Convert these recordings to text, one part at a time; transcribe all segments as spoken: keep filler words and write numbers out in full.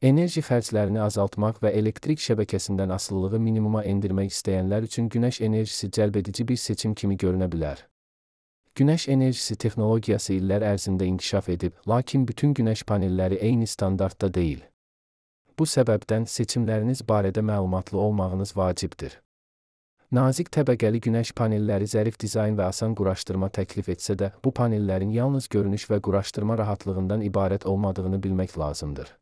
Enerji xərclərini azaltmaq və elektrik şəbəkəsindən asılılığı minimuma endirmək istəyənlər üçün günəş enerjisi cəlbedici bir seçim kimi görünə bilər. Günəş enerjisi texnologiyası illər ərzində inkişaf edib, lakin bütün günəş panelləri eyni standartda deyil. Bu səbəbdən seçimləriniz barədə məlumatlı olmağınız vacibdir. Nazik təbəqəli günəş panelləri zərif dizayn və asan quraşdırma təklif etsə də, bu panellərin yalnız görünüş və quraşdırma rahatlığından ibarət olmadığını bilmək lazımdır.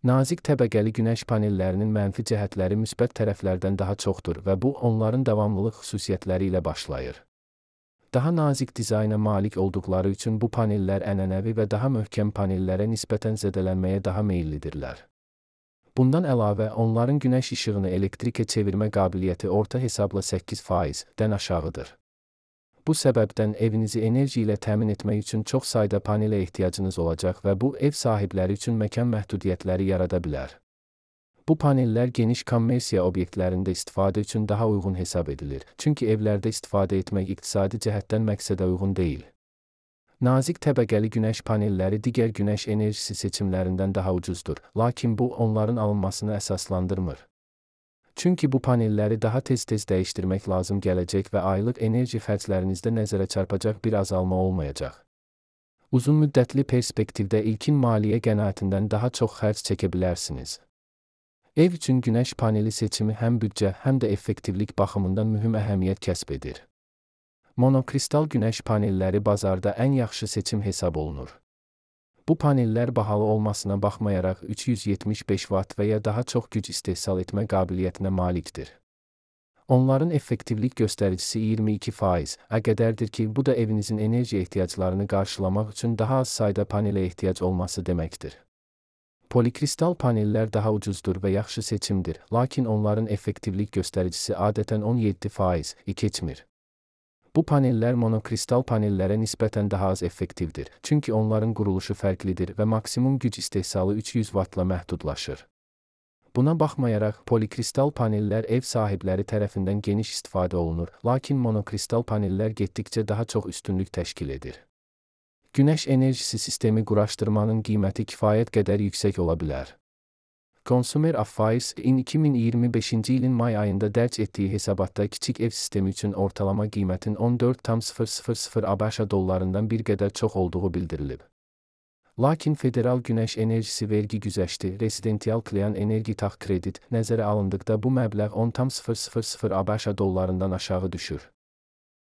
Nazik təbəqəli günəş panellərinin mənfi cəhətləri müsbət tərəflərdən daha çoxdur və bu, onların davamlılıq xüsusiyyətləri ilə başlayır. Daha nazik dizayna malik olduqları üçün bu panellər ənənəvi və daha möhkəm panellərə nisbətən zədələnməyə daha meyillidirlər. Bundan əlavə, onların günəş işığını elektrikə çevirmə qabiliyyəti orta hesabla səkkiz faizdən aşağıdır. Bu səbəbdən evinizi enerji ilə təmin etmək üçün çox sayda panelə ehtiyacınız olacaq və bu, ev sahibləri üçün məkan məhdudiyyətləri yarada bilər. Bu panellər geniş kommersiya obyektlərində istifadə üçün daha uyğun hesab edilir, çünki evlərdə istifadə etmək iqtisadi cəhətdən məqsədə uyğun deyil. Nazik təbəqəli günəş panelləri digər günəş enerjisi seçimlərindən daha ucuzdur, lakin bu, onların alınmasını əsaslandırmır. Çünki bu panelləri daha tez-tez dəyişdirmək lazım gələcək və aylıq enerji xərclərinizdə nəzərə çarpacaq bir azalma olmayacaq. Uzun müddətli perspektivdə ilkin maliyyə qənaətindən daha çox xərc çəkə bilərsiniz. Ev üçün günəş paneli seçimi həm büdcə, həm də effektivlik baxımından mühüm əhəmiyyət kəsb edir. Monokristal günəş panelləri bazarda ən yaxşı seçim hesab olunur. Bu panellər bahalı olmasına baxmayaraq üç yüz yetmiş beş vatt və ya daha çox güc istehsal etmə qabiliyyətinə malikdir. Onların effektivlik göstəricisi iyirmi iki faizə qədərdir ki, bu da evinizin enerji ehtiyaclarını qarşılamaq üçün daha az sayda panelə ehtiyac olması deməkdir. Polikristal panellər daha ucuzdur və yaxşı seçimdir, lakin onların effektivlik göstəricisi adətən on yeddi faizi keçmir. Bu panellər monokristal panellərə nisbətən daha az effektivdir, çünki onların quruluşu fərqlidir və maksimum güc istehsalı üç yüz vattla məhdudlaşır. Buna baxmayaraq, polikristal panellər ev sahibləri tərəfindən geniş istifadə olunur, lakin monokristal panellər getdikcə daha çox üstünlük təşkil edir. Günəş enerjisi sistemi quraşdırmanın qiyməti kifayət qədər yüksək ola bilər. Consumer Affairs-in iki min iyirmi beşinci ilin may ayında dərc etdiyi hesabatda kiçik ev sistemi üçün ortalama qiymətin on dörd min ABŞ dollarından bir qədər çox olduğu bildirilib. Lakin Federal Günəş Enerjisi Vergi Güzəşti, Residential Clean Energy Tax Credit nəzərə alındıqda bu məbləğ on min ANC dollarından aşağı düşür.